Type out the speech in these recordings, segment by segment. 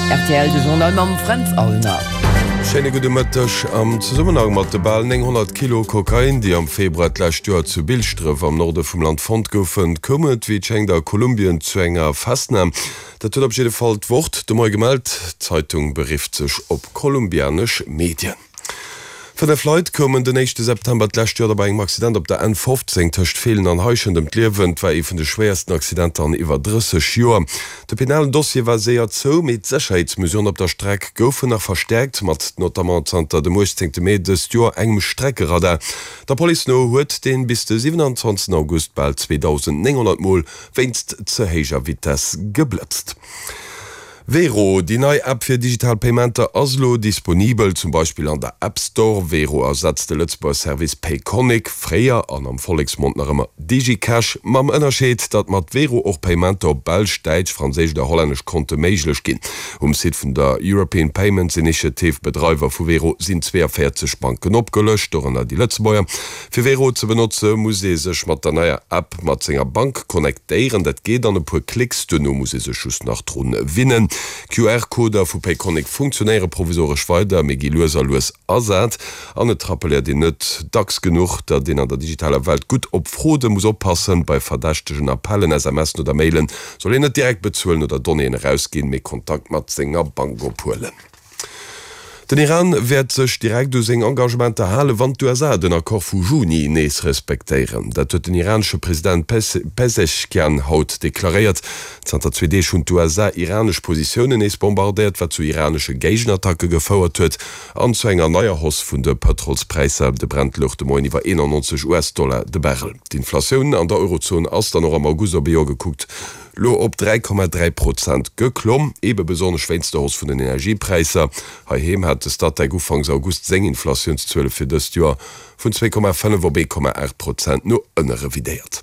Rtl, de Journal mam Fränz Aulner. Schéine gudde Mëtteg. Am Zesummenhang mat de bal 900 Kilo Kokain, déi am Februar d'lescht Joer zu Bilschdref am Norde vum Land fonnt goufen, koum et, wéi et schéngt, a Kolumbien zu enger Festnam. Dat huet op jidde Fall d'Wort de Moie gemellt. D'Zeitung berifft sech op kolumbianesch Medien. 5 Leit koumen den éischte September d'lescht Joer bei engem Accident op der N 15 tëscht Feelen an Heischent ëm d'Liewen. Et war ee vun de schwéiersten Accidenter an iwwer 30 Joer. De penalen Dossier war séier zou, mee d'Sécherheetsmesuren op der Streck goufen nach verstäerkt, mat notamment zanter dem 18 Mee dëst Joer engem Streckeradar. Der Police no huet deen bis de 27 August bal 2.900 Mol wéinst ze héijer Vitess geblëtzt. Wero, déi nei App fir digital Paymenter ass elo disponibel, zum Beispill an der App Store. Wero ersetzt de Lëtzebuerger Service Payconiq, fréier an am Volleksmond nach ëmmer DigiCash, mam Ënnerscheed, datt mat Wero och Paymenter op belsch, däitsch, franséisch oder hollännesch Konte méiglech ginn. Um Site vun der European Payments Initiative, Bedreiwer vu Wero, sinn 42 Banken opgelëscht, dorënner déi Lëtzebuerger. Fir Wero ze benotze muss ee sech mat der neier App mat senger Bank connectéieren. Dat geet an e puer Klicks, duerno muss ee sech just nach drun winnen. QR-Coder vu Payconiq funktionéiere provisoresch weider, mee gi lues a lues ersat. An et rappeléiert een net dacks genuch, datt een an der digitaler Welt gutt op Fraude muss oppassen. Bei verdächtegen Appellen, SMSen oder Mailen soll een net direkt bezuelen oder Donnéeën erausginn, mee Kontakt mat senger Bank ophuelen. Den Iran wäert sech direkt u seng Engagementer halen, wann d'USA den Accord vu Juni nees respektéieren. Dat huet den iranesche President Pezeshkian haut deklaréiert. Zanter zwee Deeg hunn d'USA iranesch Positiounen nees bombardéiert, wat zu iranesche Géigenattacke gefouert huet an zu enger neier Hausse vun de Pëtrolspräisser. De Brent louch de Moien iwwer 91 US-Dollar de Barrel. D'Inflatioun an der Eurozon ass dann och am August op ee Joer gekuckt Lo op 3,3 Prozent geklomm, ebe besonnesch wéinst der Hausse vun den Energiepräisser. Heiheem hat de Statec ufanks August seng Inflatiounszuele fir dëst Joer vun 2,5 op 1,8 Prozent no ënne revidéiert.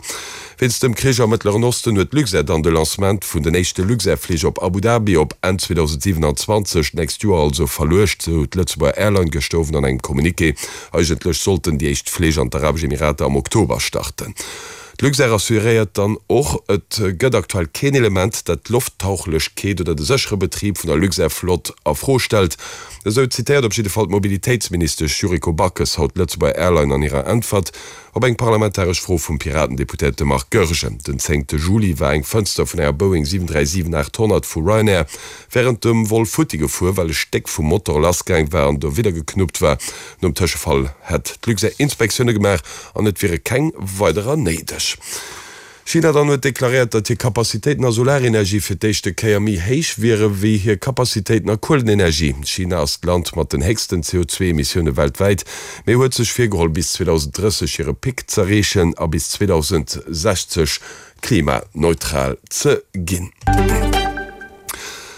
Wéinst dem Krich am Mëttleren Osten huet d'Luxair dann de Lancement vun den éischte Luxair-Flich op Abu Dhabi op Enn 2027, d'nächst Joer also, verluecht, sou d'Lëtzebuerger Airline gëschter Owend an engem Communiqué. Eigentlech sollten déi éischt Flich an d'Arabesch Emirater am Oktober starten. D'Luxair assuréiert dann och, et gëtt aktuell keen Element, dat d'Lofttauchlechkeet oder de séchere Betrib vun der Luxair-Flott a Fro stellt. Esou zitéiert op jidde Fall d'Mobilitéitsministesch Yuriko Backes haut d'Lëtzebuerger Airline an hirer Äntwert op eng parlamentaresch Fro vum Piraten-Deputéierte Marc Goergen. Den zéngte Juli war eng Fënster vun enger Boeing 737-800 vu Ryanair wärend dem Vol futti gefuer, well e Stéck vum Motor lassgaang war an dowidder geknuppt war. Nom Tëschefall hätt d'Luxair Inspektioune gemaach an et wiere keng weiderer néideg. China dann huet deklaréiert, datt hir Capacitéiten a Solarenergie fir d'éischte Kéier méi héich wiere wéi hir Capacitéiten a Kuelenenergie. China ass d'Land mat den héchsten CO2-Emissioune weltwäit, mee huet sech virgeholl bis 2030 hire Pic z'erreechen a bis 2060 klimaneutral ze ginn.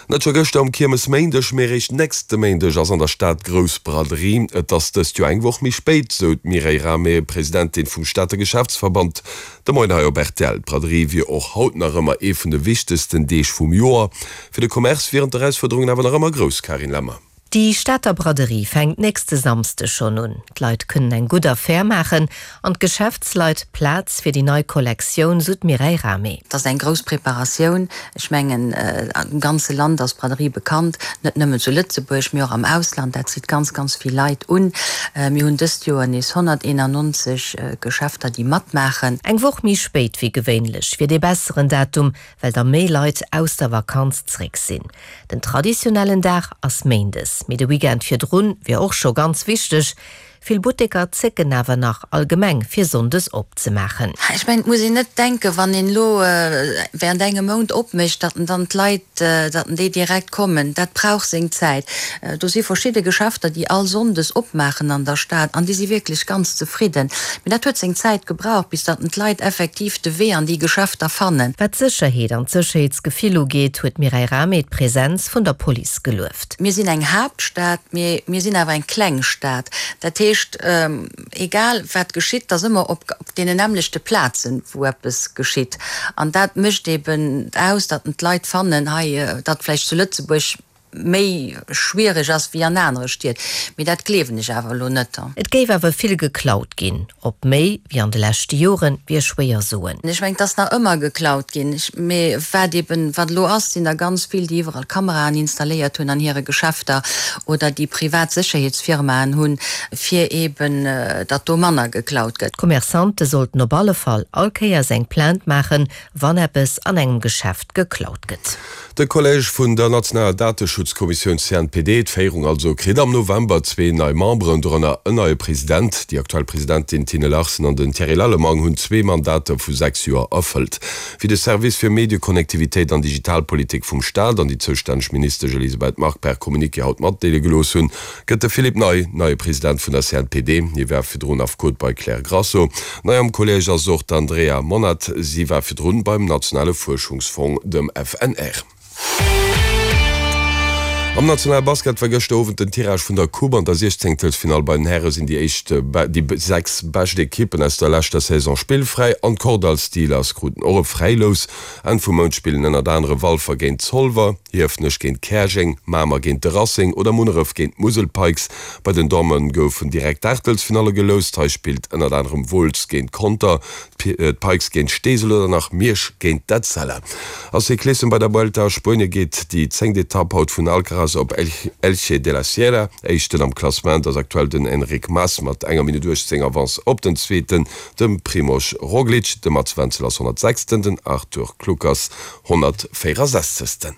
Net scho gëschter um Kiermesméindeg, mee eréischt nächste Méindeg ass an der Stad grouss Braderie. Et ass dëst Joer eng Woch méi spéit, sou d'Mireille Rahmé, Presidentin vum Stater Geschäftsverband, de Moien hei op rtl. D'Braderie wier och haut nach ëmmer ee vun de wichtegsten Deeg vum Joer. Fir de Commerce wieren d'Erausfuerderungen awer nach ëmmer grouss, Carine Lemmer. Déi Stater Braderie fänkt nächste Samsdeg schonn un. D'Leit kënnen eng gutt Affär maachen an d'Geschäftsleit Plaz fir déi nei Kollektioun, sou d'Mireille Rahmé. Et ass eng grouss Preparatioun. Ech mengen, am ganze Land ass d'Braderie bekannt, net nëmmen zu Lëtzebuerg, mee och am Ausland. Dat zitt ganz, ganz vill Leit un. Mir hunn dëst Joer nees 191 Geschäfter, déi matmaachen. Eng Woch méi spéit wéi gewéinlech wier dee besseren Datum, well da méi Leit aus der Vakanz zréck sinn. Den traditionellen Dag ass méindes, mee de Weekend virdrun wier och scho ganz wichteg. Vill Butteker zécken awer nach allgemeng fir sonndes opzemaachen. Ech mengen, et muss een net denken, wann een elo während engem Mount opmécht, datt en dann d'Leit, datt en déi direkt kommen. Dat brauch seng Zäit. Do si verschidde Geschäfter, déi all sonndes opmaachen an der Stad an déi si wierklech ganz zefridden. Mee dat huet seng Zäit gebraucht, bis datt en d'Leit effektiv de Wee an déi Geschäfter fannen. Wat d'Sécherheet an d'Sécherheetsgefill ugeet, huet d'Mireille Rahmé d'Presenz vun der Police gelueft. Mir sinn eng Haaptstad, mee mir sinn awer eng kleng Stad. Dat heescht, egal wat geschitt, et ass ëmmer op deenen nämmlechte Plazen, wou eppes geschitt. An dat mécht eben aus, datt en d'Leit fannen hei, datt vläicht zu Lëtzebuerg. méi schwiereg ass wéi an anere Stied. Mee dat gleewen ech awer elo net. Et géif awer vill geklaut ginn. Ob méi wéi an de leschte Joren, wier schwéier soen. Ech mengen, et ass nach ëmmer geklaut ginn. Mee wat eben, wat elo ass, sinn der ganz vill, déi iwwerall Kameraen installéiert hunn an hire Geschäfter oder déi privat Sécherheetsfirmaen hunn, fir eben, datt do manner geklaut gëtt. D'Commerçante sollten op alle Fall all Kéiers eng Plainte maachen, wann eppes an engem Geschäft geklaut gëtt. De Collège vun der nationaler Dateschutzkommissioun CNPD, d'Féierung also, kritt am November zwee nei Memberen, dorënner en neie President. Déi aktuell Presidentin Tine Larsen an den Thierry Lallemang hunn zwee Mandater vu 6 Joer erfëllt. Wéi de Service fir Medieconnectivitéit an Digitalpolitik vum Staat an déi zoustänneg Ministesch Elisabeth Margue per Communiqué haut matdeele gelooss hunn, Gëtt de Philippe Ney neie President vun der CNPD. Hie war virdrun Affekot bei Claire Grasso. Nei am Collège ass och d'Andrea Monnat. Si war virdrun beim nationale Fuerschungsfong, dem FNR. Am nationale Basket war gëschter Owend den Tirage vun der Coupe. An der Siechzéngtelsfinall bei den Häre sinn déi éischt déi 6 bescht Ekippen aus der leschter Saison spillfräi an d'Kordall Steelers kruten och e Fräilous. Enn vum Mount spillen ënnert anere Walfer géint Zolwer. Hiefenech géint Käerjeng, Mamer géint de Racing oder Munneref géint d'Musel Pikes. Bei den Damme goufen direkt d'Aachtelsfinalle geloust. Hei spillt ënnert anerem Wolz géint Conter, d'Pikes géint Steesel oder nach Miersch géint d'Etzella. A Cyclissem bei der Vuelta a Spuenie geet déi zéngt Etapp haut vun Alcaraz op Elche de la Sierra. Éischten am Klassement ass aktuell den Enric Mas mat enger Minutt 18 Avance op den Zweeten, dem Primož Roglic. De Mats Wenzel ass 106. Den Arthur Kluckers 164.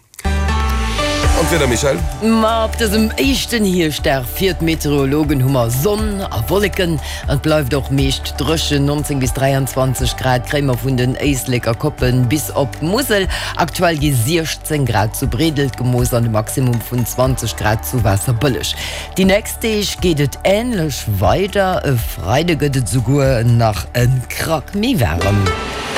An d'Wieder, Michèle? Ma op dësem éischten Hierschtdag fir d'Meteorologen hu mer Sonn a Wolleken an et bleift och meescht dréchen. 19 bis 23 Grad kréie mer vun den Éisleker Koppen bis op d'Musel. Aktuell gi 16 Grad zu Breedelt gemooss an e Maximum vun 20 Grad zu Waasserbëlleg. Déi nächst Deeg geet et änlech weider, e Freide gëtt et esouguer nach e Krack méi waarem.